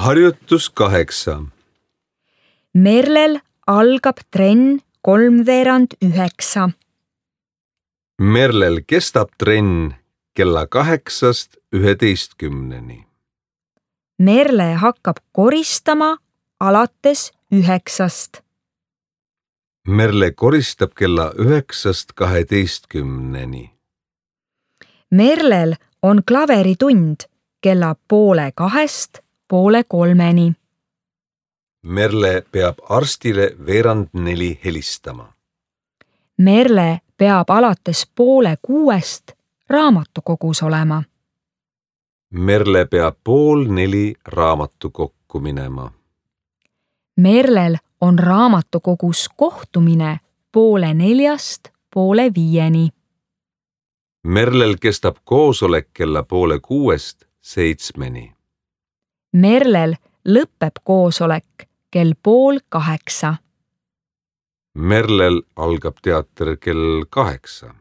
Harjutus 8. Merlel algab trenn 8:45. Merlel kestab trenn kella 8:11. Merle hakkab koristama alates 9. Merle koristab kella 9:12. Merlel on klaveritund kella 1:30–2:30. Merle peab arstile 5:45 helistama. Merle peab alates 5:30 raamatukogus olema. Merle peab 3:30 raamatukokku minema. Merlel on raamatukogus kohtumine 3:45–5:00. Merlel kestab koosolek kella 5:30–7. Merlel lõpeb koosolek kell 7:30. Merlel algab teater kell 8.